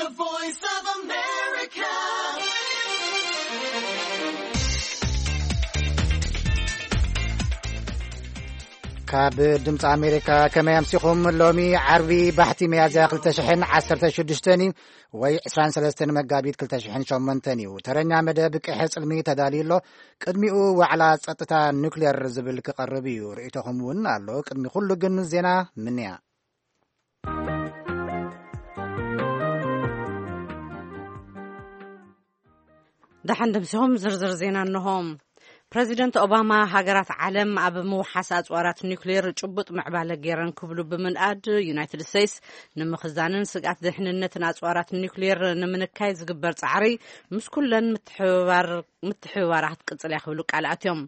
The Voice of America. ካብ ድምፂ ኣሜሪካ፣ ከመይ ኣምሲኹም? ሎሚ ዓርቢ ባሕቲ ሚያዝያ ክልተ ሽሕን ዓሰርተ ሽዱሽተን እዩ፣ ወይ ዕስራን ሰለስተን መጋቢት ክልተ ሽሕን ሸሞንተን እዩ። ተረኛ መደብ ቅሐ ጽልሚ ተዳልዩ ኣሎ። ቅድሚኡ ዋዕላ ጸጥታ ኑክሌር ዝብል ክቐርብ እዩ። ርእይቶኹም እውን ኣሎ። ቅድሚ ኩሉ ግን ዜና ምንያ። ደሓን ደምሲኹም ዝርዝር ዜና እንሆ። ፕረዚደንት ኦባማ፣ ሃገራት ዓለም ኣብ ምውሓስ ኣጽዋራት ኒውክሌር ጭቡጥ ምዕባለ ገይረን ክብሉ ብምንኣድ፣ ዩናይትድ ስቴትስ ንምኽዛንን ስግኣት ድሕንነትን ኣጽዋራት ኒውክሌር ንምንካይ ዝግበር ጻዕሪ ምስ ኩለን ምትሕብባር ምትሕብባራ ክትቅጽል እያ ክብሉ ቃል ኣትዮም።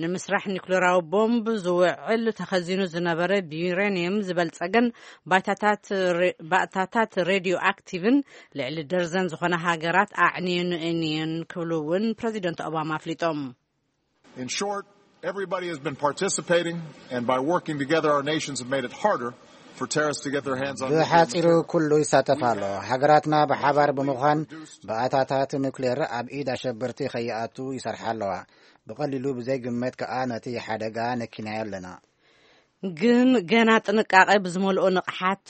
ንምስራሕ ኒውክሌራዊ ቦምብ ዝውዕል ተኸዚኑ ዝነበረ ብዩሬኒየም ዝበልጸገን ባይታታት ሬ-፣ ባእታታት ሬድዮ ኣክቲቭን ልዕሊ ደርዘን ዝኾነ ሃገራት ኣዕንየን እየን ክብሉ እውን ፕረዚደንት ኦባማ ኣፍሊጦም። In short, everybody has been participating, and by working together, our nations have made it harder for terrorists to get their hands on nuclear ብሓጺሩ material. ኩሉ ይሳተፍ ኣሎ። ሃገራትና ብሓባር ብምዃን ባእታታት ኑክሌር ኣብ ኢድ ኣሸበርቲ ከይኣቱ ይሰርሓ ኣለዋ። ብቐሊሉ ብዘይግመት ከኣ ነቲ ሓደጋ ነኪናዮ ኣለና። ግን ገና ጥንቃቐ ብዝመልኦ ንቕሓት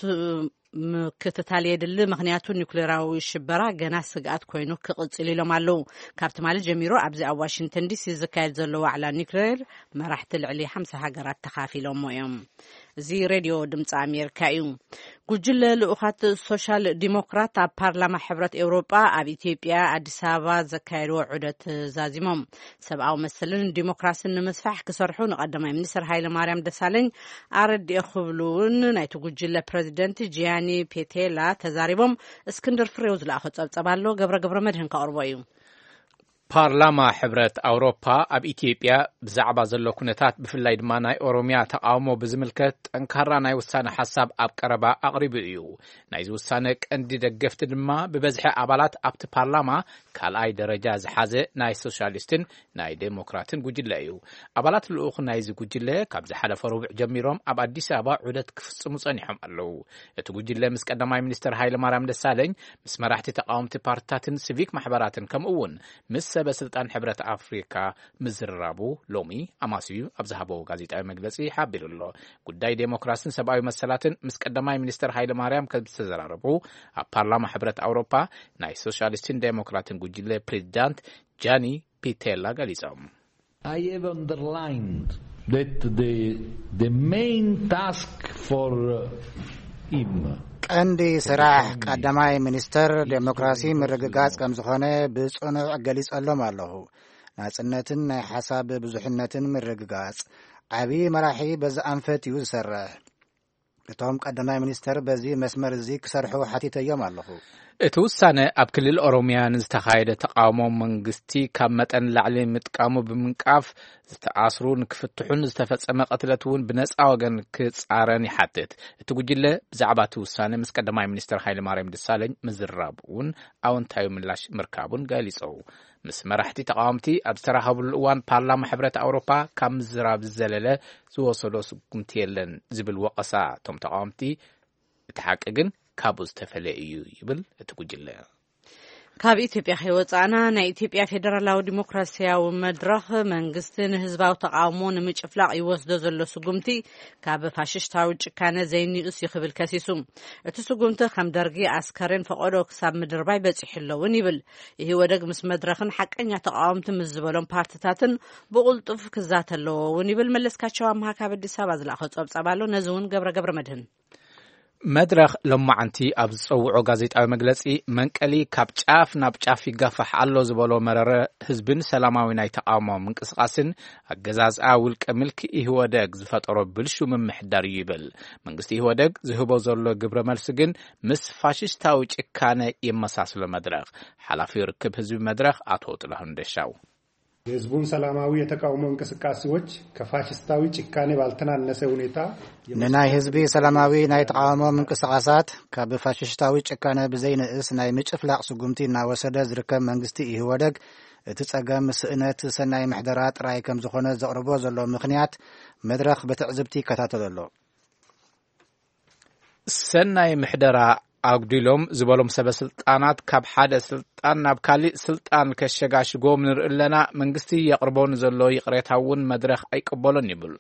ምክትታል የድሊ፣ ምኽንያቱ ኒውክሌራዊ ሽበራ ገና ስግኣት ኮይኑ ክቕጽል ኢሎም ኣለዉ። ካብ ትማሊ ጀሚሩ ኣብዚ ኣብ ዋሽንግተን ዲሲ ዝካየድ ዘሎ ዋዕላ ኒውክሌር መራሕቲ ልዕሊ ሓምሳ ሃገራት ተኻፊሎሞ እዮም። እዚ ሬድዮ ድምፂ ኣሜሪካ እዩ። ጉጅለ ልኡኻት ሶሻል ዲሞክራት ኣብ ፓርላማ ሕብረት ኤውሮጳ ኣብ ኢትዮጵያ ኣዲስ ኣበባ ዘካየድዎ ዑደት ዛዚሞም። ሰብኣዊ መሰልን ዲሞክራስን ንምስፋሕ ክሰርሑ ንቀዳማይ ሚኒስትር ሃይለ ማርያም ደሳለኝ ኣረዲኦ ክብሉ እውን ናይቲ ጉጅለ ፕረዚደንት ጂያኒ ፔቴላ ተዛሪቦም። እስክንድር ፍሬው ዝለኣኾ ጸብጸብ ኣሎ፣ ገብረ ገብረ መድህን ከቕርቦ እዩ። ፓርላማ ሕብረት ኣውሮፓ ኣብ ኢትዮጵያ ብዛዕባ ዘሎ ኩነታት፣ ብፍላይ ድማ ናይ ኦሮሚያ ተቃውሞ ብዝምልከት፣ ጠንካራ ናይ ውሳነ ሓሳብ ኣብ ቀረባ ኣቕሪቡ እዩ። ናይዚ ውሳነ ቀንዲ ደገፍቲ ድማ ብበዝሒ ኣባላት ኣብቲ ፓርላማ ካልኣይ ደረጃ ዝሓዘ ናይ ሶሻሊስትን ናይ ዴሞክራትን ጉጅለ እዩ። ኣባላት ልኡኽ ናይዚ ጉጅለ ካብ ዝሓለፈ ረቡዕ ጀሚሮም ኣብ ኣዲስ ኣበባ ዑደት ክፍጽሙ ጸኒሖም ኣለዉ። እቲ ጉጅለ ምስ ቀዳማይ ሚኒስትር ሃይለ ማርያም ደሳለኝ፣ ምስ መራሕቲ ተቃወምቲ ፓርትታትን ሲቪክ ማሕበራትን፣ ከምኡ እውን ምስ ሰበ ስልጣን ሕብረት ኣፍሪካ ምዝርራቡ ሎሚ ኣማስዩ ኣብ ዝሃቦ ጋዜጣዊ መግለጺ ሓቢሩ ኣሎ። ጉዳይ ዴሞክራስን ሰብኣዊ መሰላትን ምስ ቀዳማይ ሚኒስትር ሃይለ ማርያም ከም ዝተዘራረቡ ኣብ ፓርላማ ሕብረት ኣውሮፓ ናይ ሶሻሊስትን ዴሞክራትን ጉጅለ ፕሬዚዳንት ጃኒ ፒቴላ ገሊጾም። I have underlined that the, the main task for, uh, him ቀንዲ ስራሕ ቀዳማይ ሚኒስተር ዴሞክራሲ ምርግጋጽ ከም ዝኾነ ብጽኑዕ ገሊጸሎም ኣለኹ። ናጽነትን ናይ ሓሳብ ብዙሕነትን ምርግጋጽ። ዓቢ መራሒ በዚ ኣንፈት እዩ ዝሰርሕ። እቶም ቀዳማይ ሚኒስተር በዚ መስመር እዚ ክሰርሑ ሓቲተዮም ኣለኹ። እቲ ውሳነ ኣብ ክልል ኦሮሚያ ንዝተኻየደ ተቃውሞ መንግስቲ ካብ መጠን ላዕሊ ምጥቃሙ ብምንቃፍ፣ ዝተኣስሩ ንክፍትሑን ዝተፈጸመ ቅትለት እውን ብነጻ ወገን ክጻረን ይሓትት። እቲ ጉጅለ ብዛዕባ እቲ ውሳነ ምስ ቀዳማይ ሚኒስተር ሃይለማርያም ደሳለኝ ምዝራብ እውን ኣወንታዊ ምላሽ ምርካቡን ገሊጹ። ምስ መራሕቲ ተቃወምቲ ኣብ ዝተራኸብሉ እዋን፣ ፓርላማ ሕብረት ኣውሮፓ ካብ ምዝራብ ዝዘለለ ዝወሰዶ ስጉምቲ የለን ዝብል ወቐሳ እቶም ተቃወምቲ፣ እቲ ሓቂ ግን ካብኡ ዝተፈለየ እዩ ይብል እቲ ጉጅለ። ካብ ኢትዮጵያ ከይወጻእና፣ ናይ ኢትዮጵያ ፌደራላዊ ዲሞክራሲያዊ መድረኽ መንግስቲ ንህዝባዊ ተቃውሞ ንምጭፍላቕ ይወስዶ ዘሎ ስጉምቲ ካብ ፋሽስታዊ ጭካነ ዘይንእስ እዩ ክብል ከሲሱ። እቲ ስጉምቲ ከም ደርጊ ኣስከሬን ፈቆዶ ክሳብ ምድርባይ በጺሑ ኣለውን ይብል። ኢህወደግ ምስ መድረኽን ሓቀኛ ተቃወምቲ ምስ ዝበሎም ፓርትታትን ብቕልጡፍ ክዛተ ኣለዎ እውን ይብል። መለስካቸው ኣምሃ ካብ ኣዲስ ኣበባ ዝለኣኾ ጸብጻብ ኣሎ። ነዚ እውን ገብረ ገብረ መድህን። መድረኽ ሎማዓንቲ ኣብ ዝጸውዖ ጋዜጣዊ መግለጺ፣ መንቀሊ ካብ ጫፍ ናብ ጫፍ ይጋፋሕ ኣሎ ዝበሎ መረረ ህዝብን ሰላማዊ ናይ ተቃውሞ ምንቅስቃስን ኣገዛዝኣ ውልቀ ምልኪ ኢህወደግ ዝፈጠሮ ብልሹ ምምሕዳር እዩ ይብል። መንግስቲ ኢህወደግ ዝህቦ ዘሎ ግብረ መልሲ ግን ምስ ፋሽስታዊ ጭካነ የመሳስሎ። መድረኽ ሓላፊ ርክብ ህዝቢ መድረኽ ኣቶ ጥላሁን ደሻው። የህዝቡን ሰላማዊ የተቃውሞ እንቅስቃሴዎች ከፋሽስታዊ ጭካኔ ባልተናነሰ ሁኔታ ንናይ ህዝቢ ሰላማዊ ናይ ተቃውሞ ምንቅስቃሳት ካብ ፋሽስታዊ ጭካነ ብዘይንእስ ናይ ምጭፍላቕ ስጉምቲ እናወሰደ ዝርከብ መንግስቲ ኢህወደግ፣ እቲ ጸገም ስእነት ሰናይ ምሕደራ ጥራይ ከም ዝኾነ ዘቕርቦ ዘሎ ምኽንያት መድረኽ ብትዕዝብቲ ይከታተሎ ኣሎ። ሰናይ ምሕደራ ኣጉዲሎም ዝበሎም ሰበ ስልጣናት ካብ ሓደ ስልጣን ናብ ካሊእ ስልጣን ከሸጋሽጎም ንርኢ ኣለና። መንግስቲ የቕርቦ ንዘሎ ይቕሬታ እውን መድረኽ ኣይቅበሎን ይብል።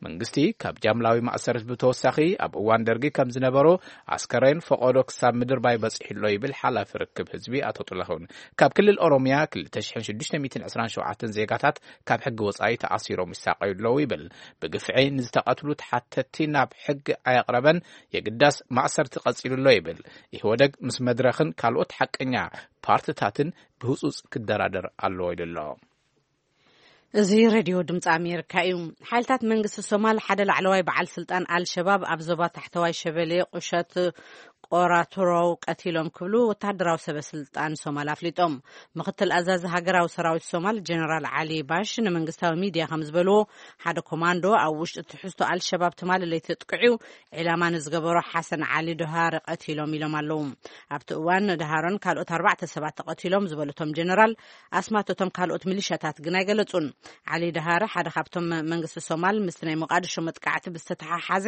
መንግስቲ ካብ ጃምላዊ ማእሰርቲ ብተወሳኺ ኣብ እዋን ደርጊ ከም ዝነበሮ ኣስከሬን ፈቐዶ ክሳብ ምድርባይ በጺሑ ኣሎ ይብል ሓላፊ ርክብ ህዝቢ ኣቶ ጥላሁን። ካብ ክልል ኦሮሚያ ክልተ ሽሕን ሽዱሽተ ሚእትን ዕስራን ሸውዓተን ዜጋታት ካብ ሕጊ ወጻኢ ተኣሲሮም ይሳቐዩ ኣለዉ ይብል። ብግፍዒ ንዝተቐትሉ ተሓተቲ ናብ ሕጊ ኣየቕረበን፣ የግዳስ ማእሰርቲ ቀጺሉ ኣሎ ይብል። ኢህወደግ ምስ መድረኽን ካልኦት ሓቀኛ ፓርትታትን ብህጹጽ ክደራደር ኣለዎ ኢሉ ኣሎ። እዚ ሬድዮ ድምፂ ኣሜሪካ እዩ። ሓይልታት መንግስቲ ሶማል ሓደ ላዕለዋይ በዓል ስልጣን ኣልሸባብ ኣብ ዞባ ታሕተዋይ ሸበሌ ቁሸት ቆራቱሮው ቀቲሎም ክብሉ ወታደራዊ ሰበ ስልጣን ሶማል ኣፍሊጦም። ምክትል ኣዛዚ ሃገራዊ ሰራዊት ሶማል ጀነራል ዓሊ ባሽ ንመንግስታዊ ሚድያ ከም ዝበልዎ፣ ሓደ ኮማንዶ ኣብ ውሽጢ ትሕዝቶ ኣልሸባብ ትማሊ ለይቲ ጥቅዑ ዒላማ ንዝገበሮ ሓሰን ዓሊ ዶሃር ቀቲሎም ኢሎም ኣለዉ። ኣብቲ እዋን ዶሃርን ካልኦት ኣርባዕተ ሰባት ተቐቲሎም ዝበሉ እቶም ጀነራል፣ ኣስማት እቶም ካልኦት ሚሊሻታት ግን ኣይገለጹን። ዓሊ ደሃረ ሓደ ካብቶም መንግስቲ ሶማል ምስቲ ናይ ሞቃዲሾ መጥቃዕቲ ብዝተተሓሓዘ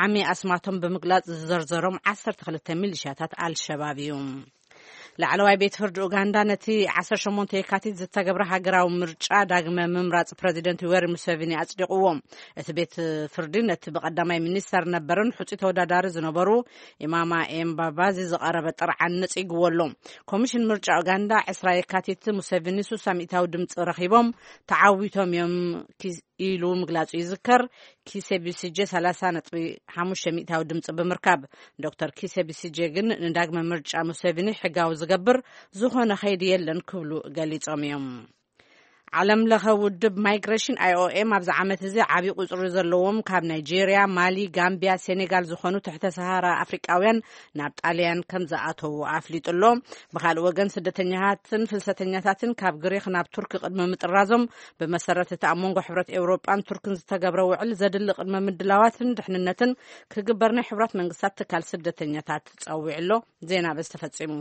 ዓሚ ኣስማቶም ብምግላጽ ዝዘርዘሮም ዓሰርተ ክልተ ሚሊሻታት ኣልሸባብ እዩ። ላዕለዋይ ቤት ፍርዲ ኡጋንዳ ነቲ ዓሰርተ ሸሞንተ የካቲት ዝተገብረ ሃገራዊ ምርጫ ዳግመ ምምራጽ ፕረዚደንት ዩዌሪ ሙሴቪኒ ኣጽዲቕዎ። እቲ ቤት ፍርዲ ነቲ ብቐዳማይ ሚኒስተር ነበርን ሕጹይ ተወዳዳሪ ዝነበሩ ኢማማ ኤምባባዚ ዝቐረበ ጥርዓን ነጺግዎ ኣሎ። ኮሚሽን ምርጫ ኡጋንዳ ዕስራ የካቲት ሙሴቪኒ ሱሳ ሚእታዊ ድምፂ ረኺቦም ተዓዊቶም እዮም ኪ- ኢሉ ምግላጹ ይዝከር። ኪሴ ቢሲጄ ሰላሳ ነጥቢ ሓሙሽተ ሚእታዊ ድምፂ ብምርካብ፣ ዶክተር ኪሴ ቢሲጄ ግን ንዳግመ ምርጫ ሙሴቪኒ ሕጋዊ ዝገብር ዝኾነ ከይዲ የለን ክብሉ ገሊጾም እዮም። ዓለም ለኸ ውድብ ማይግሬሽን ኣይ ኦ ኤም ኣብዚ ዓመት እዚ ዓብዪ ቁፅሪ ዘለዎም ካብ ናይጄርያ፣ ማሊ፣ ጋምቢያ፣ ሴኔጋል ዝኾኑ ትሕተ ሰሃራ ኣፍሪቃውያን ናብ ጣልያን ከም ዝኣተዉ ኣፍሊጡ ኣሎ። ብኻልእ ወገን ስደተኛታትን ፍልሰተኛታትን ካብ ግሪክ ናብ ቱርኪ ቅድሚ ምጥራዞም ብመሰረት እቲ ኣብ መንጎ ሕብረት ኤውሮጳን ቱርክን ዝተገብረ ውዕል ዘድሊ ቅድመ ምድላዋትን ድሕንነትን ክግበር ናይ ሕብራት መንግስታት ትካል ስደተኛታት ጸዊዑ ኣሎ። ዜና በዚ ተፈጺሙ።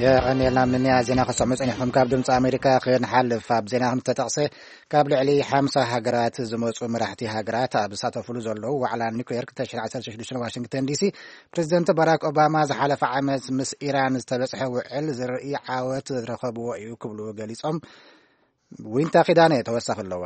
የቐንየልና ምንያ ዜና ክሰሙ ጸኒሕኩም ካብ ድምፂ ኣሜሪካ ክንሓልፍ ኣብ ዜና ከም ዝተጠቕሰ ካብ ልዕሊ ሓምሳ ሃገራት ዝመፁ መራሕቲ ሃገራት ኣብ ዝሳተፉሉ ዘለዉ ዋዕላ ኒክሌር ክልተ ሽሕን ዓሰርተ ሽዱሽተን ዋሽንግተን ዲሲ ፕሬዚደንት ባራክ ኦባማ ዝሓለፈ ዓመት ምስ ኢራን ዝተበፅሐ ውዕል ዝርኢ ዓወት ዝረኸብዎ እዩ ክብሉ ገሊፆም። ዊንታ ኪዳነ ተወሳኺ ኣለዋ።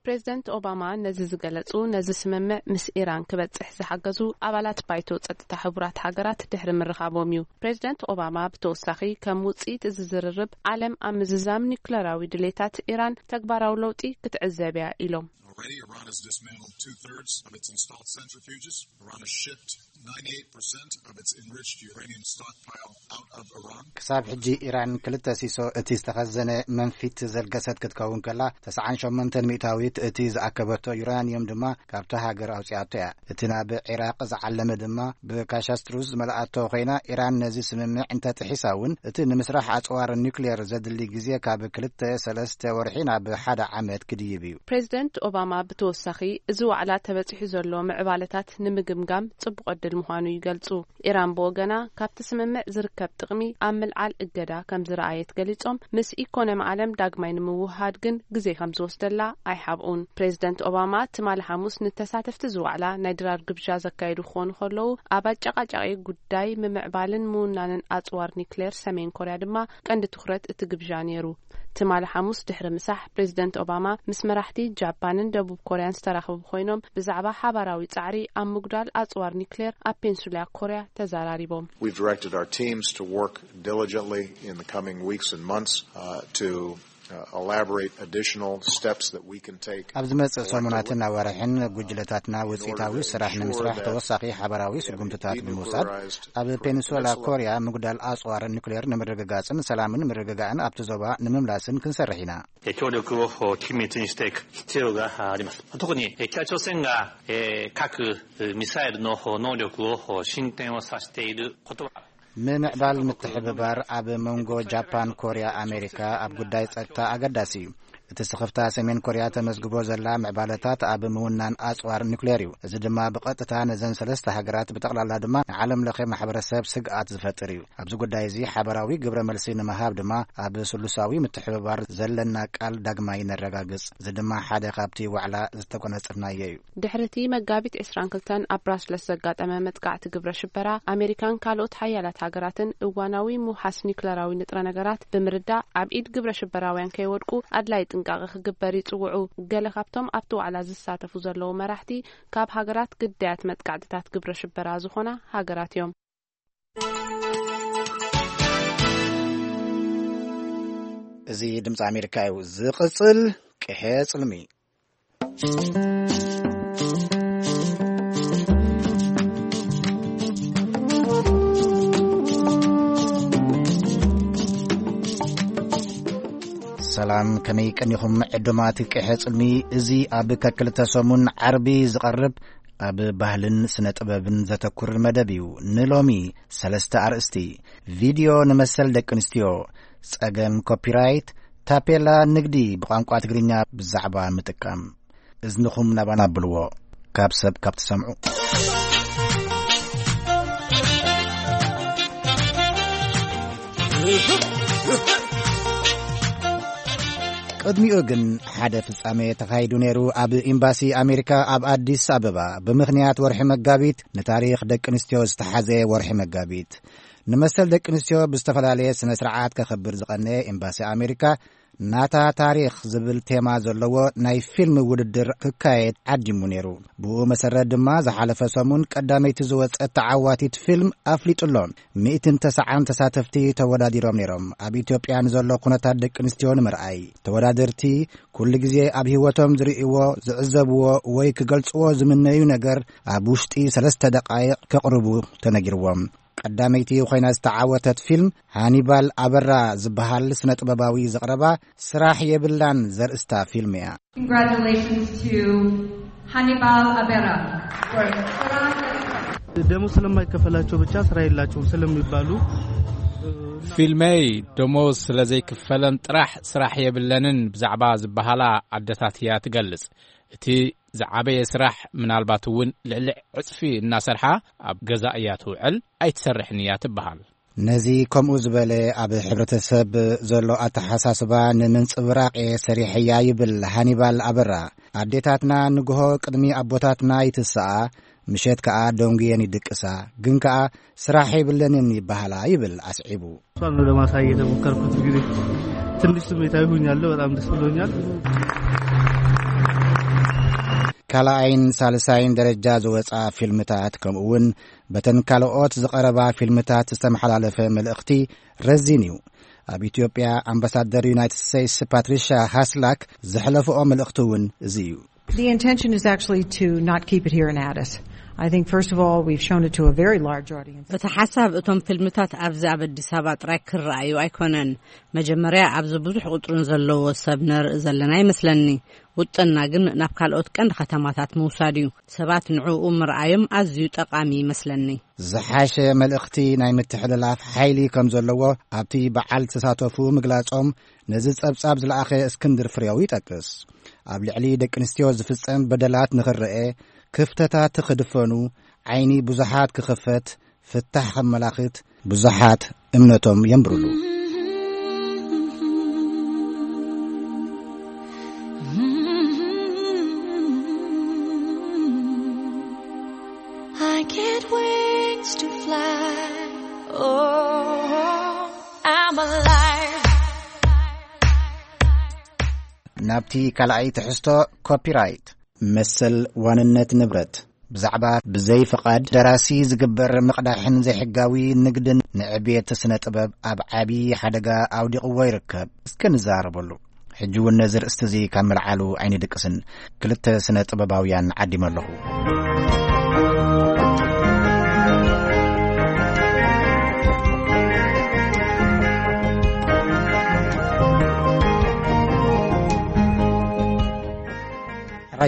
ፕሬዚደንት ኦባማ ነዚ ዝገለጹ ነዚ ስምምዕ ምስ ኢራን ክበጽሕ ዝሓገዙ ኣባላት ባይቶ ጸጥታ ሕቡራት ሃገራት ድሕሪ ምርኻቦም እዩ። ፕሬዚደንት ኦባማ ብተወሳኺ ከም ውጽኢት እዚ ዝርርብ ዓለም ኣብ ምዝዛም ኒኩለራዊ ድሌታት ኢራን ተግባራዊ ለውጢ ክትዕዘብ እያ ኢሎም። Already, Iran has dismantled two-thirds of its installed centrifuges. Iran has shipped ninety-eight percent of its enriched uranium stockpile out of Iran. ክሳብ ሕጂ ኢራን ክልተ ሲሶ እቲ ዝተኸዘነ መንፊት ዘልገሰት ክትከውን ከላ፣ ተስዓን ሸሞንተን ሚእታዊት እቲ ዝኣከበቶ ዩራንየም ድማ ካብታ ሃገር ኣውጺኣቶ እያ። እቲ ናብ ዒራቕ ዝዓለመ ድማ ብካሻስትሩስ ዝመልኣቶ ኮይና፣ ኢራን ነዚ ስምምዕ እንተጥሒሳ እውን እቲ ንምስራሕ ኣጽዋር ኒውክሌር ዘድሊ ግዜ ካብ ክልተ ሰለስተ ወርሒ ናብ ሓደ ዓመት ክድይብ እዩ። ፕሬዚደንት ኦባማ ብተወሳኺ፣ እዚ ዋዕላ ተበጺሑ ዘሎ ምዕባለታት ንምግምጋም ጽቡቕ ዕድል ምዃኑ ይገልጹ። ኢራን ብወገና፣ ካብቲ ስምምዕ ዝርከብ ጥቕሚ ኣብ ምልዓል እገዳ ከም ዝረኣየት ገሊጾም፣ ምስ ኢኮኖሚ ዓለም ዳግማይ ንምውህሃድ ግን ግዜ ከም ዝወስደላ ኣይሓብኡን። ፕሬዚደንት ኦባማ ትማሊ ሓሙስ ንተሳተፍቲ እዚ ዋዕላ ናይ ድራር ግብዣ ዘካየዱ ክኾኑ ከለዉ፣ ኣብ ኣጨቃጫቂ ጉዳይ ምምዕባልን ምውናንን ኣጽዋር ኒክሌር ሰሜን ኮርያ ድማ ቀንዲ ትኹረት እቲ ግብዣ ነይሩ። ትማሊ ሓሙስ ድሕሪ ምሳሕ፣ ፕሬዚደንት ኦባማ ምስ መራሕቲ ጃፓንን ደቡብ ኮርያን ዝተራኸቡ ኮይኖም፣ ብዛዕባ ሓባራዊ ጻዕሪ ኣብ ምጉዳል ኣጽዋር ኒክሌር ኣብ ፔንሱላ ኮርያ ተዘራሪቦም። We've directed our teams to work diligently in the coming weeks and months, uh, to, uh, elaborate additional steps that we can take. ኣብ ዝመጽእ ሰሙናትን ኣዋርሕን ጉጅለታትና ውጽኢታዊ ስራሕ ንምስራሕ ተወሳኺ ሓባራዊ ስጉምትታት ብምውሳድ፣ ኣብ ፔንሱላ ኮርያ ምጉዳል ኣጽዋር ኒክሌር ንምርግጋጽን ሰላምን ምርግጋእን ኣብቲ ዞባ ንምምላስን ክንሰርሕ ኢና። 協力を緊密にしていく必要があります。特に北朝鮮が核ミサイルの能力を進展をさせていることは、 ምምዕባል ምትሕብባር ኣብ መንጎ ጃፓን፣ ኮርያ፣ ኣሜሪካ ኣብ ጉዳይ ጸጥታ ኣገዳሲ እዩ። እቲ ስኽፍታ ሰሜን ኮርያ ተመዝግቦ ዘላ ምዕባለታት ኣብ ምውናን ኣጽዋር ኒውክሌር እዩ። እዚ ድማ ብቐጥታ ነዘን ሰለስተ ሃገራት፣ ብጠቕላላ ድማ ንዓለም ለኸ ማሕበረሰብ ስግኣት ዝፈጥር እዩ። ኣብዚ ጉዳይ እዚ ሓበራዊ ግብረ መልሲ ንምሃብ ድማ ኣብ ስሉሳዊ ምትሕብባር ዘለና ቃል ዳግማይ ነረጋግጽ። እዚ ድማ ሓደ ካብቲ ዋዕላ ዝተጎናጸፍናዮ እዩ። ድሕሪ እቲ መጋቢት ዕስራን ክልተን ኣብ ብራስለስ ዘጋጠመ መጥቃዕቲ ግብረ ሽበራ፣ ኣሜሪካን ካልኦት ሓያላት ሃገራትን እዋናዊ ምውሓስ ኒውክለራዊ ንጥረ ነገራት ብምርዳእ፣ ኣብ ኢድ ግብረ ሽበራውያን ከይወድቁ ኣድላይ ጥንቃቐ ክግበር ይጽውዑ። ገለ ካብቶም ኣብቲ ዋዕላ ዝሳተፉ ዘለዉ መራሕቲ፣ ካብ ሃገራት ግዳያት መጥቃዕትታት ግብረ ሽበራ ዝኾና ሃገራት እዮም። እዚ ድምፂ ኣሜሪካ እዩ። ዝቕፅል ቅሐ ፅልሚ። ሰላም፣ ከመይ ቀኒኹም ዕዱማት ቅሐ ጽልሚ? እዚ ኣብ ከክልተ ሰሙን ዓርቢ ዝቐርብ ኣብ ባህልን ስነ ጥበብን ዘተኩር መደብ እዩ። ንሎሚ ሰለስተ ኣርእስቲ፣ ቪድዮ ንመሰል ደቂ ኣንስትዮ፣ ጸገም ኮፒራይት፣ ታፔላ ንግዲ ብቋንቋ ትግርኛ ብዛዕባ ምጥቃም። እዝንኹም ናባና ኣብልዎ፣ ካብ ሰብ ካብ ትሰምዑ። ቅድሚኡ ግን ሓደ ፍጻሜ ተኻይዱ ነይሩ። ኣብ ኤምባሲ ኣሜሪካ ኣብ ኣዲስ ኣበባ፣ ብምኽንያት ወርሒ መጋቢት፣ ንታሪኽ ደቂ ኣንስትዮ ዝተሓዘ ወርሒ መጋቢት፣ ንመሰል ደቂ ኣንስትዮ ብዝተፈላለየ ስነ ስርዓት ከኽብር ዝቐነየ ኤምባሲ ኣሜሪካ፣ ናታ ታሪኽ ዝብል ቴማ ዘለዎ ናይ ፊልም ውድድር ክካየድ ዓዲሙ ነይሩ። ብኡ መሰረት ድማ ዝሓለፈ ሰሙን ቀዳመይቲ ዝወጸት ተዓዋቲት ፊልም ኣፍሊጡ ኣሎ። ሚእትን ተስዓን ተሳተፍቲ ተወዳዲሮም ነይሮም። ኣብ ኢትዮጵያ ንዘሎ ኩነታት ደቂ ኣንስትዮ ንምርኣይ፣ ተወዳደርቲ ኩሉ ግዜ ኣብ ህይወቶም ዝርእይዎ፣ ዝዕዘብዎ ወይ ክገልጽዎ ዝምነዩ ነገር ኣብ ውሽጢ ሰለስተ ደቃይቕ ከቕርቡ ተነጊርዎም። ቀዳመይቲ ኮይና ዝተዓወተት ፊልም ሃኒባል ኣበራ ዝበሃል ስነ ጥበባዊ ዘቕረባ ስራሕ የብላን ዘርእስታ ፊልም እያ። Congratulations to ሃኒባል ኣበራ for ስራሕ። ደሞዝ ስለማይከፈላቸው ብቻ ስራ የላቸውም ስለሚባሉ፣ ፊልመይ ደሞዝ ስለ ዘይክፈለን ጥራሕ ስራሕ የብለንን ብዛዕባ ዝበሃላ ኣደታት እያ ትገልጽ። እቲ ዝዓበየ ስራሕ፣ ምናልባት እውን ልዕሊ ዕጽፊ እናሰርሓ ኣብ ገዛ እያ ትውዕል፣ ኣይትሰርሕን እያ ትበሃል። ነዚ ከምኡ ዝበለ ኣብ ሕብረተሰብ ዘሎ ኣተሓሳስባ ንምንጽብራቕ እየ ሰሪሐያ ይብል ሃኒባል ኣበራ። ኣዴታትና ንግሆ ቅድሚ ኣቦታትና ይትስኣ፣ ምሸት ከኣ ደንጉየን ይድቅሳ፣ ግን ከኣ ስራሕ የብለንን ይበሃላ ይብል ኣስዒቡ። እሷን ነው ለማሳየት የሞከርኩት። እንግዲህ ትንሽ ስሜታዊ ሆኛለሁ። በጣም ደስ ብሎኛል። ካልኣይን ሳልሳይን ደረጃ ዝወጻ ፊልምታት፣ ከምኡ እውን በተን ካልኦት ዝቐረባ ፊልምታት ዝተመሓላለፈ መልእኽቲ ረዚን እዩ። ኣብ ኢትዮጵያ ኣምባሳደር ዩናይትድ ስቴትስ ፓትሪሻ ሃስላክ ዘሕለፍኦ መልእኽቲ እውን እዚ እዩ። The intention is actually to not keep it here in Addis. I think, first of all, we've shown it to a very large audience. እቲ ሓሳብ እቶም ፊልምታት ኣብዚ ኣብ ኣዲስ ኣበባ ጥራይ ክረኣዩ ኣይኮነን። መጀመርያ ኣብዚ ብዙሕ ቁጽርን ዘለዎ ሰብ ነርኢ ዘለና ይመስለኒ። ውጥንና ግን ናብ ካልኦት ቀንዲ ከተማታት ምውሳድ እዩ። ሰባት ንዕኡ ምርኣዮም ኣዝዩ ጠቓሚ ይመስለኒ። ዝሓሸ መልእኽቲ ናይ ምትሕልላፍ ሓይሊ ከም ዘለዎ ኣብቲ በዓል ዝተሳተፉ ምግላጾም፣ ነዚ ጸብጻብ ዝለኣኸ እስክንድር ፍሬው ይጠቅስ። ኣብ ልዕሊ ደቂ ኣንስትዮ ዝፍጸም በደላት ንኽረአ፣ ክፍተታት ክድፈኑ፣ ዓይኒ ብዙሓት ክኽፈት፣ ፍታሕ ከመላኽት ብዙሓት እምነቶም የንብሩሉ። I get wings to fly. Oh, I'm alive. ናብቲ ካልኣይ ትሕዝቶ፣ ኮፒራይት፣ መሰል ዋንነት ንብረት። ብዛዕባ ብዘይ ፍቓድ ደራሲ ዝግበር ምቕዳሕን ዘይሕጋዊ ንግድን ንዕቤት ስነ ጥበብ ኣብ ዓቢ ሓደጋ ኣውዲቕዎ ይርከብ። እስከ ንዛረበሉ። ሕጂ እውን ነዚ ርእስቲ እዚ ካብ ምልዓሉ ኣይንድቅስን። ክልተ ስነ ጥበባውያን ዓዲመ ኣለኹ።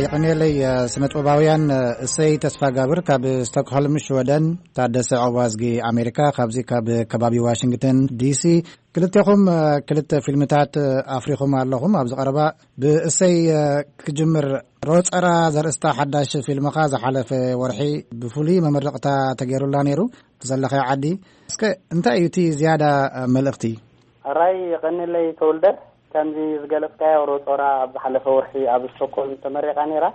የቐንየለይ። ስነ ጥበባውያን እሰይ ተስፋ ጋብር ካብ ስቶክሆልም ሽወደን፣ ታደሰ ኦባዝጊ ኣሜሪካ ካብዚ ካብ ከባቢ ዋሽንግተን ዲሲ። ክልቴኹም ክልተ ፊልምታት ኣፍሪኹም ኣለኹም። ኣብዚ ቀረባ ብእሰይ ክጅምር፣ ሮፀራ ዘርእስታ ሓዳሽ ፊልምኻ ዝሓለፈ ወርሒ ብፍሉይ መመረቕታ ተገይሩላ ነይሩ። ዘለኸ ዓዲ እስከ እንታይ እዩ እቲ ዝያዳ መልእኽቲ? ኣራይ የቐንለይ ተወልደ። ከምዚ ዝገለጽካዮ ሮጾራ ኣብ ዝሓለፈ ወርሒ ኣብ ስቶክሆልም ተመሪቓ ነይራ።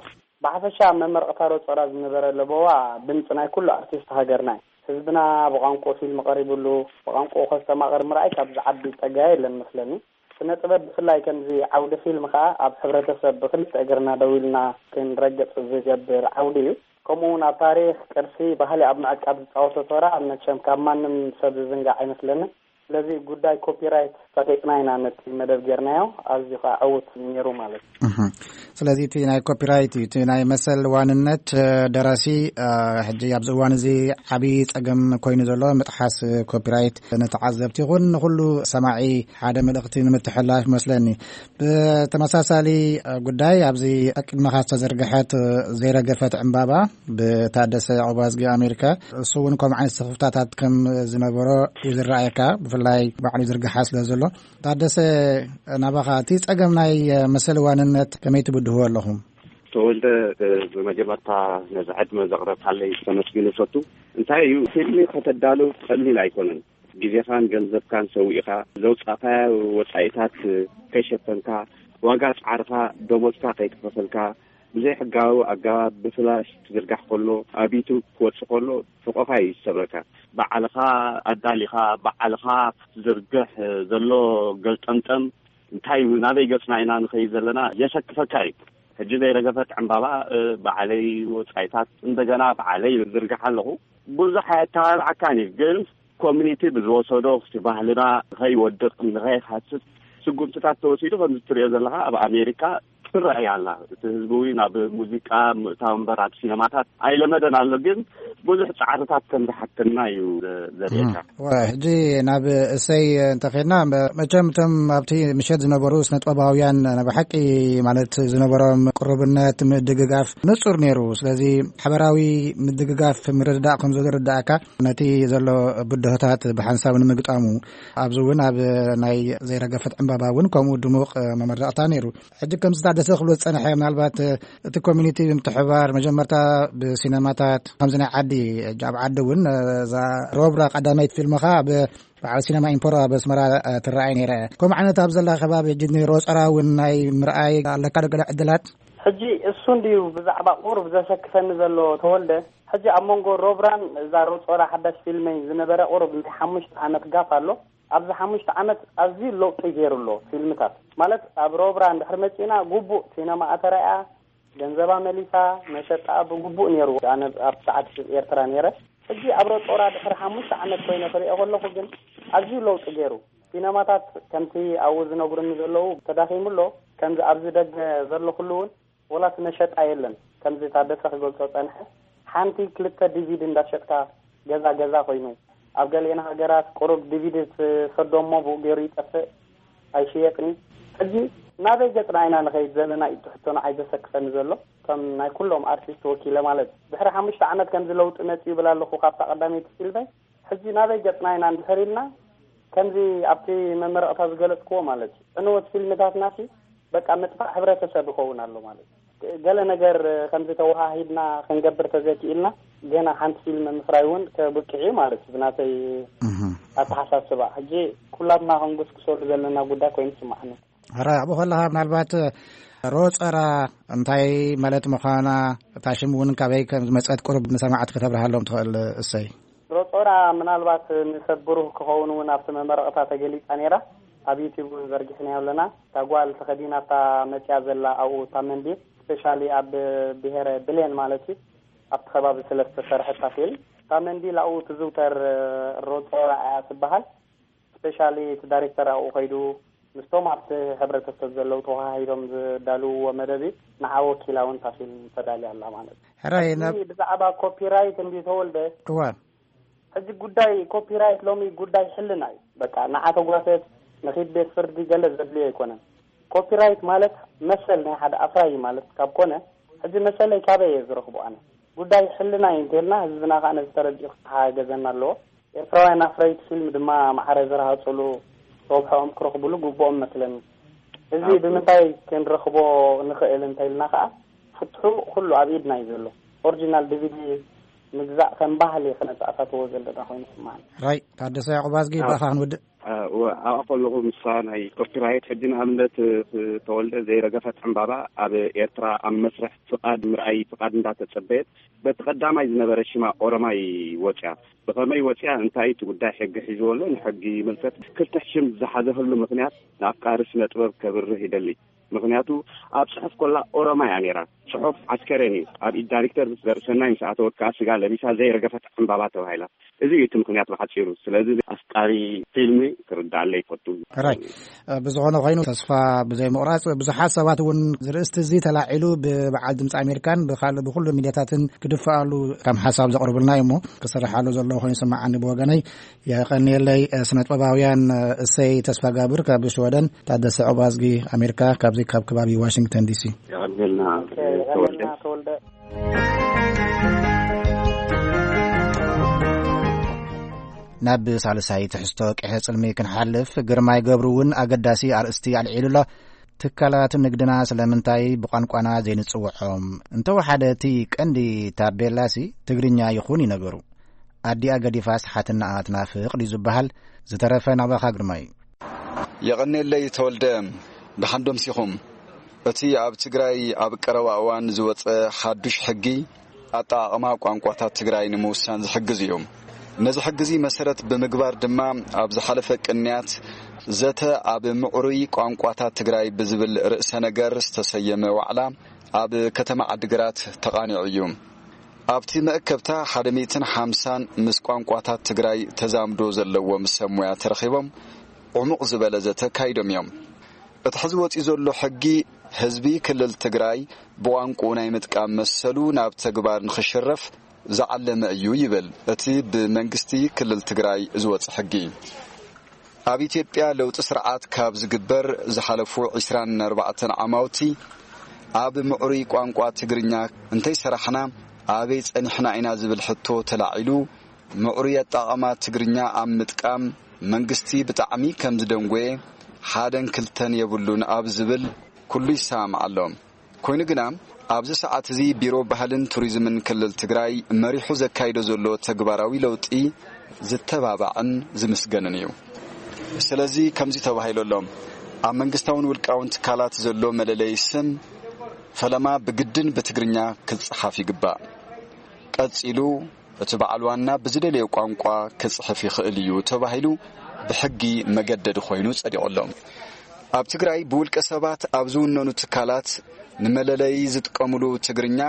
ብሓፈሻ ኣብ መመረቕታ ሮጾራ ዝነበረ ለበዋ ድምጺ ናይ ኩሉ ኣርቲስት ሃገርና እዩ። ህዝብና ብቋንቋ ፊልም ቀሪብሉ፣ ብቋንቋ ከስተማቕር ምርኣይ ካብ ዝዓቢ ጸጋ የለን መስለኒ። ስነ ጥበብ ብፍላይ ከምዚ ዓውዲ ፊልም ከኣ ኣብ ሕብረተሰብ ብክልተ እግርና ደው ኢልና ክንረግጽ ዝገብር ዓውዲ እዩ። ከምኡ እውን ኣብ ታሪኽ፣ ቅርሲ፣ ባህሊ ኣብ ምዕቃብ ዝጻወቶ ተራ መቸም ካብ ማንም ሰብ ዝዝንጋዕ ኣይመስለንን። ስለዚ ጉዳይ ኮፒራይት ፈቂጥና ኢና ነቲ መደብ ጌርናዮ። ኣዝዩ ከዓ ዕዉት ነይሩ ማለት እዩ። እህ። ስለዚ እቲ ናይ ኮፒራይት እዩ፣ እቲ ናይ መሰል ዋንነት፣ እ፣ ደራሲ፣ እ፣ ሕጂ ኣብዚ እዋን እዚ ዓብዪ ጸገም ኮይኑ ዘሎ ምጥሓስ ኮፒራይት ንተዓዘብቲ ይኹን ንኹሉ ሰማዒ ሓደ መልእኽቲ ንምትሕልላፍ ይመስለኒ። ብተመሳሳሊ ጉዳይ፣ ኣብዚ ቅድመኻ ዝተዘርግሐት ዘይረገፈት ዕምባባ ብታደሰ ኦባዝጊ ኣሜሪካ፣ እሱ እውን ከምኡ ዓይነት ስኽፍታታት ከም ዝነበሮ እዩ ዝረኣየካ፣ ብፍላይ ባዕሉ ይዝርግሓ ስለ ዘሎ። ታደሰ፣ ናባኻ እቲ ጸገም ናይ መሰል ዋንነት ከመይ ትብድህዎ ኣለኹም? ተወልደ፣ ብመጀመርታ ነዚ ዕድመ ዘቕረብካለይ ከመስግን እፈቱ። እንታይ እዩ፣ ፊልም ከተዳሉ ቀሊል ኣይኮነን። ግዜኻን ገንዘብካን ሰዊእኻ ዘውጻእካዮ ወጻኢታት ከይሸፈንካ፣ ዋጋ ጻዕርኻ፣ ደሞዝካ ከይከፈልካ፣ ብዘይሕጋዊ ኣገባብ ብፍላሽ ክዝርጋሕ ከሎ፣ ኣብ ዩቱብ ክወጽእ ከሎ፣ ሕቖኻ እዩ ዝሰብረካ። ባዕልኻ ኣዳሊኻ፣ ባዕልኻ ክትዝርግሕ ዘሎ ገልጠምጠም፣ እንታይ እዩ፣ ናበይ ገጽና ኢና ንኸይድ ዘለና የሰክፈካ እዩ። ሕጂ ዘይረገፈት ዕምባባ፣ እ፣ ባዕለይ ወጻኢታት እንደገና ባዕለይ ዝርግሕ ኣለኹ። ብዙሕ ኣየተባብዓካን እዩ፣ ግን ኮሚኒቲ ብዝወሰዶ፣ እቲ ባህልና ንኸይወድቕ፣ ንኸይሃስስ ስጉምትታት ተወሲዱ። ከምዚ ትሪኦ ዘለኻ ኣብ ኣሜሪካ ትረኣይ ኣላ። እቲ ህዝቢ እውን ናብ ሙዚቃ ምእታው እምበር ኣብ ሲነማታት ኣይለመደን ኣሎ፣ ግን ብዙሕ ጻዕርታት ከም ዝሓተና እዩ ዘ-፣ ዘርእየካ። እም። ወ-፣ ሕጂ ናብ እሰይ እንተኸድና፣ መ-፣ መቸም እቶም ኣብቲ ምሸት ዝነበሩ ስነ ጥበባውያን፣ ናይ ብሓቂ ማለት ዝነበሮም ቅሩብነት፣ ምድግጋፍ ንጹር ነይሩ። ስለዚ ሓበራዊ ምድግጋፍ፣ ምርድዳእ ከም ዘሎ ይርድኣካ፣ ነቲ ዘሎ ብድሆታት ብሓንሳብ ንምግጣሙ። ኣብዚ እውን ኣብ ናይ ዘይረገፈት ዕምባባ እውን ከምኡ ድሙቕ መመረቕታ ነይሩ። ሕጂ ከምዚ ታደሰ ክብሎ ዝጸንሐ፣ ምናልባት እቲ ኮሚኒቲ ብምትሕብባር መጀመርታ ብሲነማታት ከምዚ ናይ ዓዲ፣ ኣብ ዓዲ እውን እዛ ሮብራ ቀዳመይቲ ፊልምኻ ኣብ በዓል ሲነማ ኢምፖሮ ኣብ ኣስመራ ትረኣይ ነይራ እያ። ከምኡ ዓይነት ኣብ ዘላ ከባቢ ሕጂ ንሮጸራ እውን ናይ ምርኣይ ኣለካ ዶ ገለ ዕድላት? ሕጂ እሱ እንድዩ ብዛዕባ ቁሩብ ዘሰክፈኒ ዘሎ ተወልደ። ሕጂ ኣብ መንጎ ሮብራን እዛ ሮጾራ ሓዳሽ ፊልመይ ዝነበረ ቁሩብ ናይ ሓሙሽተ ዓመት ጋፍ ኣሎ። ኣብዚ ሓሙሽተ ዓመት ኣዝዩ ለውጢ ገይሩ ኣሎ ፊልምታት። ማለት ኣብ ሮብራ እንድሕር መጺእና ግቡእ ሲነማ ኣተራእያ፣ ገንዘባ መሊሳ፣ መሸጣ ብግቡእ ነይሩ። ኣነ ኣብ ሰዓት ኤርትራ ነይረ። ሕጂ ኣብ ሮጦራ ድሕሪ ሓሙሽተ ዓመት ኮይነ ክሪኦ ከለኹ ግን ኣዝዩ ለውጢ ገይሩ። ሲነማታት ከምቲ ኣብኡ ዝነግሩኒ ዘለዉ ተዳኺሙ ኣሎ። ከምዚ ኣብዚ ደገ ዘለኹሉ እውን ወላ እቲ መሸጣ የለን። ከምዚ ታደሰ ክገልጾ ጸንሐ፣ ሓንቲ ክልተ ዲቪዲ እንዳሸጥካ ገዛ ገዛ ኮይኑ። ኣብ ገሊአን ሃገራት ቁሩብ ዲቪዲ ትሰዶ እሞ ብኡ ገይሩ ይጠፍእ፣ ኣይሽየጥን እዩ። ሕጂ ናበይ ገጽና ኢና ንኸይድ ዘለና እዩ እቲ ሕቶ ንዓይ ዘሰክፈኒ ዘሎ። ከም ናይ ኩሎም ኣርቲስት ወኪለ ማለት እዩ። ድሕሪ ሓሙሽተ ዓመት ከምዚ ለውጢ መጺኡ ይብል ኣለኹ ካብታ ቀዳመይቲ ፊልመይ። ሕጂ ናበይ ገጽና ኢና እንድሕር ኢልና፣ ከምዚ ኣብቲ መመረቕታ ዝገለጽክዎ ማለት እዩ፣ ዕንወት ፊልምታትናሲ በቃ ምጥፋእ ሕብረተሰብ ይኸውን ኣሎ ማለት እዩ። ገለ ነገር ከምዚ ተወሃሂድና ክንገብር ተዘይክኢልና፣ ገና ሓንቲ ፊልም ምፍራይ እውን ከብቅዕ እዩ ማለት እዩ ብናተይ እህ። ኣተሓሳስባ። ሕጂ ኩላትና ክንጉስጉሰሉ ዘለና ጉዳይ ኮይኑ ይስማዓኒ። ሕራይ ኣብኡ ከለኻ ምናልባት ሮጸራ እንታይ ማለት ምዃና፣ እታ ሽም እውን ካበይ ከም ዝመጸት ቁሩብ ንሰማዕቲ ከተብርሃሎም ትኽእል? እሰይ። ሮጾራ ምናልባት ንሰብ ብሩህ ክኸውን እውን ኣብቲ መመረቕታ ተገሊጻ ነይራ። ኣብ ዩቲዩብ እውን ዘርጊሕናዮ ኣለና። እታ ጓል ተኸዲናታ መጽያ ዘላ ኣብኡ እታ መንዲል፣ ስፔሻሊ ኣብ ብሄረ ብሌን ማለት እዩ፣ ኣብቲ ከባቢ ስለ ዝተሰርሐት እታ ፊልም። እታ መንዲል ኣብኡ ትዝውተር፣ ሮጾራ እያ ትበሃል። ስፔሻሊ እቲ ዳይሬክተር ኣብኡ ከይዱ ምስቶም ኣብቲ ሕብረተሰብ ዘለዉ ተወሃሂዶም ዝዳልውዎ መደብ እዩ። ንዓ ወኪላ እውን እታ ፊልም ተዳልያ ኣላ ማለት እዩ። ሕራይ፣ ሕጂ ናብ ብዛዕባ ኮፒራይት እንዲ ተወልደ፣ እወ። ሕጂ ጉዳይ ኮፒራይት ሎሚ ጉዳይ ሕልና እዩ። በቃ ንዓ ተጓተት ንኺድ ቤት ፍርዲ ገለ ዘድልዮ ኣይኮነን። ኮፒራይት ማለት መሰል ናይ ሓደ ኣፍራዪ ማለት ካብ ኮነ፣ ሕጂ መሰለይ ካበይ እየ ዝረኽቦ ኣነ? ጉዳይ ሕልና እዩ እንተልና፣ ህዝብና ከዓ ነዚ ተረዲኡ ክተሓጋገዘና ኣለዎ። ኤርትራውያን ኣፍረይቲ ፊልም ድማ ማዕረ ዝረሃፅሉ ረብሖኦም ክረኽብሉ ግብኦም መስለኒ። እዚ ብምንታይ ክንረኽቦ ንኽእል እንተልና ከዓ፣ ፍትሑ ኩሉ ኣብ ኢድና እዩ ዘሎ። ኦሪጂናል ዲቪዲ ምግዛእ ከም ባህሊ ክነተኣታተዎ ዘለና ኮይኑ ይስማዓኒ። ራይ ታደሰ ያዕቆብ ኣዝጊ፣ ብኣኻ ክንውድእ። ኣብኣ ከለኹ፣ ንሳ ናይ ኮፒራይት ሕጂ ንኣብነት ተወልደ ዘይረገፈት ዕምባባ ኣብ ኤርትራ ኣብ መስርሕ ፍቓድ ምርኣይ ፍቓድ እንዳተጸበየት፣ በቲ ቀዳማይ ዝነበረ ሽማ ኦሮማይ ወጽያ። ብኸመይ ወጽያ? እንታይ እቲ ጉዳይ ሕጊ ሒዝዎ ኣሎ? ንሕጊ ይምልከት። ክልተ ሽም ዝሓዘህሉ ምኽንያት ንኣፍቃሪ ስነ ጥበብ ከብርህ ይደሊ። ምኽንያቱ፣ ኣብ ጽሑፍ ኮላ ኦሮማይ እያ ነይራ። ጽሑፍ ዓስከሬን እዩ። ኣብ ኢድ ዳይሬክተር ዘርእሰናይ ምስ ኣተወት ከኣ ስጋ ለቢሳ ዘይረገፈት ዕምባባ ተባሂላ። እዚ እዩ እቲ ምኽንያት ብሓጺሩ። ስለዚ ኣፍቃሪ ፊልም ክርዳኣለይ ይፈቱ። ሕራይ፣ ብዝኾነ ኮይኑ፣ ተስፋ ብዘይ ምቑራጽ፣ ብዙሓት ሰባት እውን ዝርእስቲ እዚ ተላዒሉ ብበዓል ድምፂ ኣሜሪካን ብካልእ ብኩሉ ሚድያታትን ክድፍኣሉ ከም ሓሳብ ዘቕርቡልና እዩ እሞ፣ ክስርሓሉ ዘለዎ ኮይኑ ይስምዓኒ ብወገነይ። የቐንየለይ። ስነጥበባውያን እሰይ ተስፋጋብር ካብ ሽወደን፣ ታደሰ ዑባዝጊ ኣሜሪካ ካብዚ ካብ ከባቢ ዋሽንግተን ዲሲ። የቐንየልና ተወልደ። ናብ ሳልሳይ ትሕዝቶ ቅሐ ጽልሚ ክንሓልፍ፣ ግርማይ ገብሩ እውን ኣገዳሲ ኣርእስቲ ኣልዒሉ ኣሎ። ትካላት ንግድና ስለምንታይ ብቋንቋና ዘይንጽውዖም? እንተወሓደ እቲ ቀንዲ ታቤላሲ ትግርኛ ይኹን እዩ ነገሩ። ኣዲኣ ገዲፋስ ሓትናኣ ትናፍቕ ድዩ ዝበሃል? ዝተረፈ ናባኻ ግርማይ። የቐኔለይ ተወልደ፣ ደሓን ዶ ምሲኹም? እቲ ኣብ ትግራይ ኣብ ቀረባ እዋን ዝወጸ ሓዱሽ ሕጊ ኣጠቓቕማ ቋንቋታት ትግራይ ንምውሳን ዝሕግዝ እዩ። ነዚ ሕጊ እዚ መሰረት ብምግባር ድማ፣ ኣብ ዝሓለፈ ቅንያት ዘተ ኣብ ምዕሩይ ቋንቋታት ትግራይ ብዝብል ርእሰ ነገር ዝተሰየመ ዋዕላ ኣብ ከተማ ዓዲግራት ተቓኒዑ እዩ። ኣብቲ መእከብታ ሓደ ሚእትን ሓምሳን ምስ ቋንቋታት ትግራይ ተዛምዶ ዘለዎም ሰብ ሞያ ተረኺቦም ዕሙቕ ዝበለ ዘተ ኣካይዶም እዮም። እቲ ሕዚ ወፂኡ ዘሎ ሕጊ ህዝቢ ክልል ትግራይ ብቋንቋኡ ናይ ምጥቃም መሰሉ ናብ ተግባር ንኽሽረፍ ዝዓለመ እዩ ይብል እቲ ብመንግስቲ ክልል ትግራይ ዝወፀ ሕጊ። ኣብ ኢትዮጵያ ለውጢ ስርዓት ካብ ዝግበር ዝሓለፉ ዒስራን ኣርባዕተን ዓማውቲ ኣብ ምዕሩይ ቋንቋ ትግርኛ እንተይሰራሕና ኣበይ ጸኒሕና ኢና ዝብል ሕቶ ተላዒሉ፣ ምዕሩይ ኣጠቓቕማ ትግርኛ ኣብ ምጥቃም መንግስቲ ብጣዕሚ ከም ዝደንጎየ ሓደን ክልተን የብሉን ኣብ ዝብል ኩሉ ይሰማማዕ ኣሎ። ኮይኑ ግና ኣብዚ ሰዓት እዚ ቢሮ ባህልን ቱሪዝምን ክልል ትግራይ መሪሑ ዘካይዶ ዘሎ ተግባራዊ ለውጢ ዝተባባዕን ዝምስገንን እዩ። ስለዚ ከምዚ ተባሂሉ ኣሎ፣ ኣብ መንግስታውን ውልቃውን ትካላት ዘሎ መለለዪ ስም ፈለማ ብግድን ብትግርኛ ክጸሓፍ ይግባእ። ቀጺሉ እቲ በዓል ዋና ብዝደለዮ ቋንቋ ክጽሕፍ ይኽእል እዩ ተባሂሉ ብሕጊ መገደዲ ኮይኑ ጸዲቑ ኣሎ። ኣብ ትግራይ ብውልቀ ሰባት ኣብ ዝውነኑ ትካላት ንመለለዪ ዝጥቀሙሉ ትግርኛ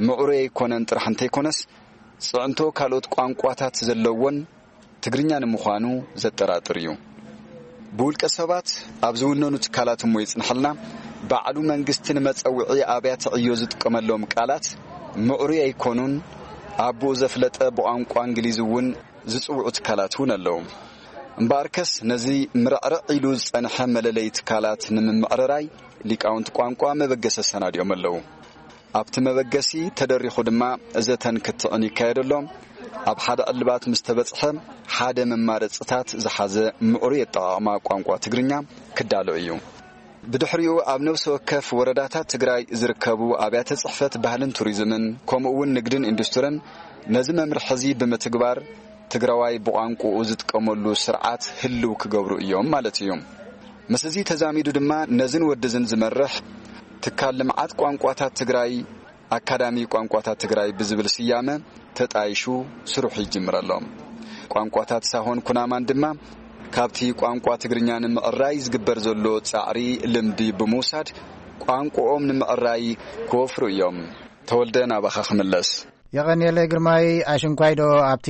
ምዕሩይ ኣይኮነን ጥራሕ እንተይኮነስ፣ ጽዕንቶ ካልኦት ቋንቋታት ዘለዎን ትግርኛ ንምዃኑ ዘጠራጥር እዩ። ብውልቀ ሰባት ኣብ ዝውነኑ ትካላት እሞ ይጽንሐልና፣ ባዕሉ መንግስቲ ንመጸውዒ ኣብያተ ዕዮ ዝጥቀመሎም ቃላት ምዕሩይ ኣይኮኑን፣ ኣቦኡ ዘፍለጠ ብቋንቋ እንግሊዝ እውን ዝጽውዑ ትካላት እውን ኣለዉ። እምበኣርከስ ነዚ ምርዕርዕ ኢሉ ዝጸንሐ መለለዪ ትካላት ንምምዕርራይ ሊቃውንቲ ቋንቋ መበገሲ ኣሰናዲኦም ኣለዉ። ኣብቲ መበገሲ ተደሪኹ ድማ ዘተን ክትዕን ይካየደሎም። ኣብ ሓደ ዕልባት ምስ ተበጽሐ፣ ሓደ መማረጽታት ዝሓዘ ምዕሩይ ኣጠቓቕማ ቋንቋ ትግርኛ ክዳሎ እዩ። ብድሕሪኡ ኣብ ነፍሲ ወከፍ ወረዳታት ትግራይ ዝርከቡ ኣብያተ ጽሕፈት ባህልን ቱሪዝምን ከምኡ እውን ንግድን ኢንዱስትርን ነዚ መምርሒ እዚ ብምትግባር ትግራዋይ ብቋንቋኡ ዝጥቀመሉ ስርዓት ህልው ክገብሩ እዮም ማለት እዩ። ምስ እዚ ተዛሚዱ ድማ ነዝን ወድዝን ዝመርሕ ትካል ልምዓት ቋንቋታት ትግራይ ኣካዳሚ ቋንቋታት ትግራይ ብዝብል ስያመ ተጣይሹ ስርሑ ይጅምር ኣሎ። ቋንቋታት ሳሆን ኩናማን ድማ ካብቲ ቋንቋ ትግርኛ ንምዕራይ ዝግበር ዘሎ ጻዕሪ ልምዲ ብምውሳድ ቋንቋኦም ንምዕራይ ክወፍሩ እዮም። ተወልደ ናባኻ ክምለስ። የቐንየለይ ግርማይ። ኣሽንኳይዶ ኣብቲ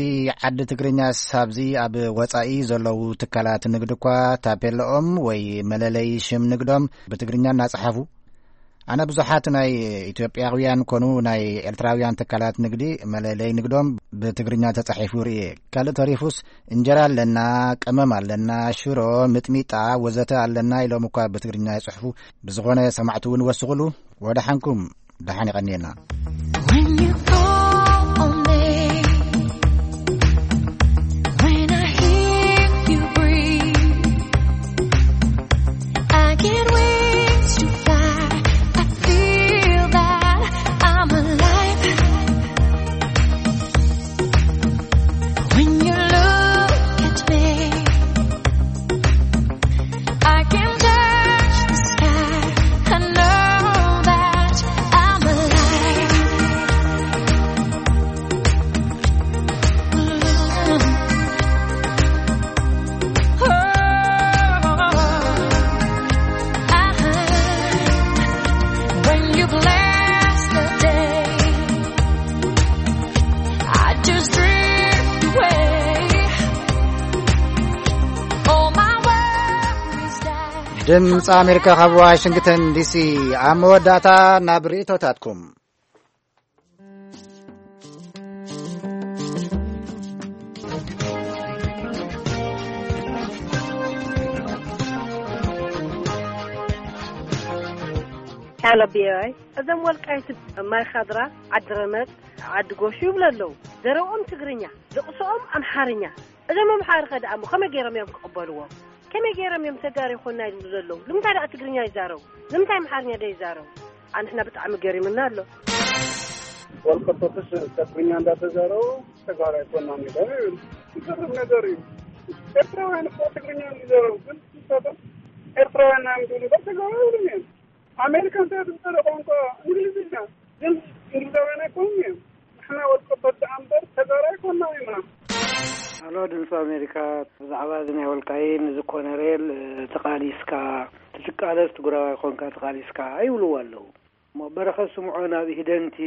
ዓዲ ትግርኛስ ኣብዚ ኣብ ወጻኢ ዘለዉ ትካላት ንግዲ እኳ ታፔላኦም ወይ መለለይ ሽም ንግዶም ብትግርኛ እናጸሓፉ፣ ኣነ ብዙሓት ናይ ኢትዮጵያውያን ኮኑ ናይ ኤርትራውያን ትካላት ንግዲ መለለይ ንግዶም ብትግርኛ ተጻሒፉ ርእየ። ካልእ ተሪፉስ እንጀራ ኣለና፣ ቀመም ኣለና፣ ሽሮ፣ ምጥሚጣ ወዘተ ኣለና ኢሎም እኳ ብትግርኛ ይጽሕፉ። ብዝኾነ ሰማዕቲ እውን ወስኹሉ። ወደሓንኩም። ደሓን ይቐንየና። When you call on me, when I hear you breathe, I get wings to fly. I feel that I'm alive. When you look at me, I can touch the sky. I know that I'm alive. When you bless the day, I just drift away. All my worries die. ድምፂ ኣሜሪካ ካብ ዋሽንግተን ዲሲ። ኣብ መወዳእታ ናብ ርእቶታትኩም። ሄሎ ቪኦኤ። እዞም ወልቃይት፣ ማይ ኻድራ፣ ዓዲ ረመፅ፣ ዓዲ ጎሹ ይብሉ ኣለዉ። ዘረብኦም ትግርኛ፣ ደቕሶኦም ኣምሓርኛ። እዞም ኣምሓሩ ኸ ደኣ እሞ ከመይ ገይሮም እዮም ክቕበልዎም? ከመይ ገይሮም እዮም ተጋሩ ይኾንና ይብሉ ዘለዉ? ንምንታይ ደኣ ትግርኛ ይዛረቡ? ንምንታይ ኣምሓርኛ ደይዛረቡ? ኣንሕና ብጣዕሚ ገሪሙና ኣሎ። ወልቀቶትስ ትግርኛ እንዳተዛረቡ ተጋሩ ኣይኮናም ኢሎም ይብል። ይገርም ነገር እዩ። ኤርትራውያን እኮ ትግርኛ ይዛረቡ፣ ግን ንሳቶም ኤርትራውያን ኢና እዮም ዝብሉ እምበር ተጋሩ ኣይብሉን እዮም። ኣሜሪካ እንታይ ትዛረብ ቋንቋ እንግሊዝኛ፣ ግን እንግሊዛውያን ኣይኮኑን እዮም። ንሕና ወልቀቶት ደኣ እምበር ተጋሩ ኣይኮናም ኢና። ኣሎ ድምፂ ኣሜሪካ። ብዛዕባ እዚ ናይ ወልቃይን እዚ ኮነሬል፣ እ፣ ተቓሊስካ፣ ትቃለስ ትግራዋይ ኮንካ ተቓሊስካ ኣይብልዎ ኣለዉ። እሞ በረኸት ስምዖን ኣብ ኢህደን እቲ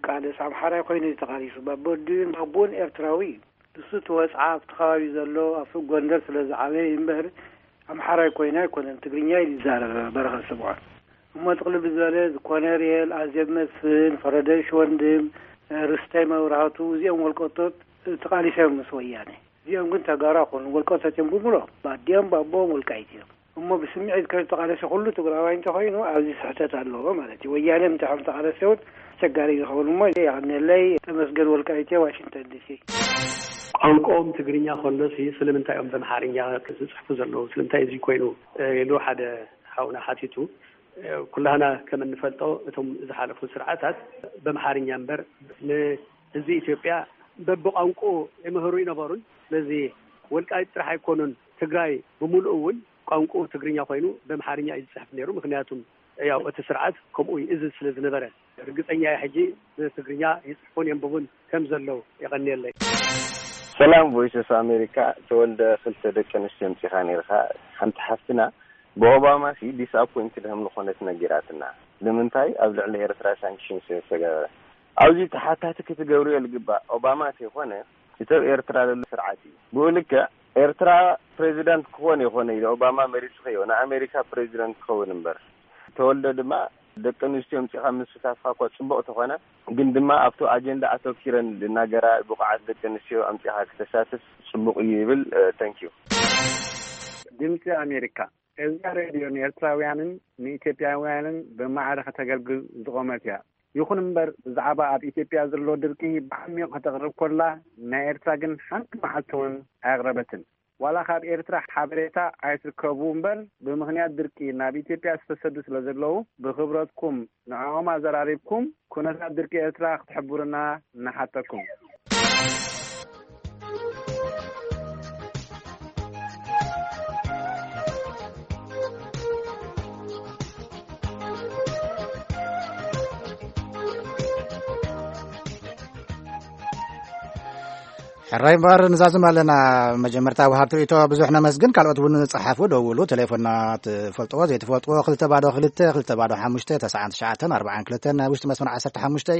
ቃልስ ኣምሓራይ ኮይኑ እዩ ተቓሊሱ። ባቦዲን ባቦን ኤርትራዊ እዩ። ንሱ እቲ ወፅዓ ኣብቲ ከባቢ ዘሎ ኣብ ሱቅ ጎንደር ስለ ዝዓበየ እዩ እምበር ኣምሓራይ ኮይኑ ኣይኮነን። ትግርኛ እዩ ዝዛረብ በረኸት ስምዖን። እሞ ጥቕልል ዝበለ ኮነሬል፣ ኣዜብ መስፍን፣ ፈረደሽ ወንድም፣ ርስተይ መብራህቱ፣ እዚኦም ወልቀቶት ተቓሊሶም ምስ ወያነ። እዚኦም ግን ተጋሩ ኣይኮኑን፣ ወልቀቶት እዮም ብምሎ። ባዲኦም ባቦም ወልቃይት እዮም። እሞ ብስምዒት ከይተቓለሰ ኩሉ ትግራዋይ እንተኾይኑ ኣብዚ ስሕተት ኣለዎ ማለት እዩ። ወያነ ምንታይ ከም ተቓለሰ እውን ኣስቸጋሪ ዝኸውን። እሞ የቐንየለይ። ተመስገን ወልቃይት እየ፣ ዋሽንግተን ዲሲ። ቋንቋኦም ትግርኛ ከሎሲ ስለምንታይ እዮም በምሓርኛ ዝጽሕፉ ዘለዉ? ስለምንታይ እዚ ኮይኑ? እ፣ ኢሉ ሓደ ሓውና ሓቲቱ። እ፣ ኩላህና ከም እንፈልጦ እቶም ዝሓለፉ ስርዓታት በምሓርኛ እምበር ንህዝቢ ኢትዮጵያ በብቋንቋኡ ይምህሩ ይነበሩን። ስለዚ ወልቃይት ጥራሕ ኣይኮኑን፣ ትግራይ ብምሉኡ እውን ቋንቋኡ ትግርኛ ኮይኑ በምሓርኛ እዩ ዝጽሕፍ ነይሩ። ምክንያቱም ያው እቲ ስርዓት ከምኡ ይእዝዝ ስለ ዝነበረ። ርግጸኛ እየ ሕጂ ብትግርኛ ይጽሕፉን የንብቡን ከም ዘለዉ። የቐንየለይ። ሰላም ቮይስ ኦፍ ኣሜሪካ። ተወልደ፣ ክልተ ደቂ ኣንስትዮ ኣምጺኻ ነይርካ። ሓንቲ ሓፍትና ብኦባማ ሲ ዲስኣፖይንትድ ከም ዝኾነት ነጊራትና። ንምንታይ ኣብ ልዕሊ ኤርትራ ሳንክሽን ስለ ዝተገበረ? ኣብዚ ተሓታቲ ክትገብርዮ ዝግባእ ኦባማ ተይኮነ እቲ ኣብ ኤርትራ ዘሎ ስርዓት እዩ። ብኡ ልክዕ ኤርትራ ፕሬዚዳንት ክኾን ይኾነ ኢሉ ኦባማ መሪጹ ከይኮነ ኣሜሪካ ፕሬዚዳንት ክኸውን እምበር። ተወልደ ድማ ደቂ ኣንስትዮ ኣምጺኻ ምስታፍካ እኳ ጽቡቕ ተኾነ፣ ግን ድማ ኣብቲ ኣጀንዳ ኣተኪረን ዝናገራ ብቑዓት ደቂ ኣንስትዮ ኣምጺኻ ክተሳትፍ ጽቡቕ እዩ ይብል። እ፣ thank you። ድምጺ ኣሜሪካ። እዛ ሬድዮ ንኤርትራውያንን ንኢትዮጵያውያንን ብማዕረ ከተገልግል ዝቖመት እያ። ይኹን እምበር ብዛዕባ ኣብ ኢትዮጵያ ዘሎ ድርቂ ብዓሚቕ ከተቕርብ ኮላ፣ ናይ ኤርትራ ግን ሓንቲ መዓልቲ እውን ኣየቕረበትን። ዋላ ካብ ኤርትራ ሓበሬታ ኣይትርከቡ እምበር፣ ብምኽንያት ድርቂ ናብ ኢትዮጵያ ዝተሰዱ ስለ ዘለዉ፣ ብኽብረትኩም ንዕኦም ኣዘራሪብኩም ኩነታት ድርቂ ኤርትራ ክትሕብሩና ንሓተኩም። ሕራይ እምበኣር ንዛዝም ኣለና። መጀመርታ ወሃብቲ ርእይቶ ብዙሕ ነመስግን። ካልኦት እውን ጸሓፉ፣ ደውሉ። ቴሌፎንና ትፈልጥዎ ዘይትፈልጥዎ፣ ክልተ ባዶ ክልተ፣ ክልተ ባዶ ሓሙሽተ፣ ተስዓን ትሽዓተን ኣርባዓን ክልተን ናይ ውሽጢ መስመር ዓሰርተ ሓሙሽተ።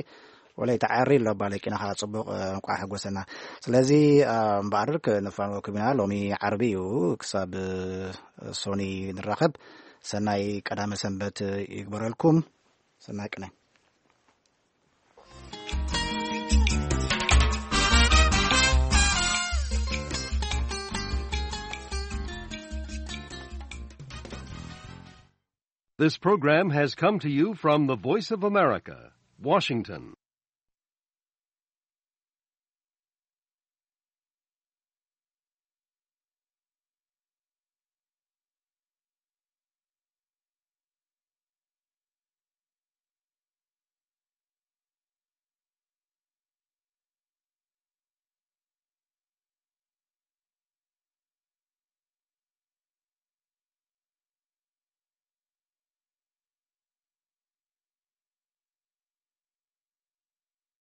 ወለይታ ዓሪ ኣሎ ባለቂና ኸዓ ጽቡቕ፣ እ፣ እንቋዕ ሓጎሰና። ስለዚ፣ እ፣ እምበኣር ክንፋንወኩም ኢና። ሎሚ ዓርቢ እዩ፣ ክሳብ፣ እ፣ ሶኒ ንራኸብ። ሰናይ ቀዳመ ሰንበት ይግበረልኩም። ሰናይ ቅነ። This program has come to you from the Voice of America, Washington.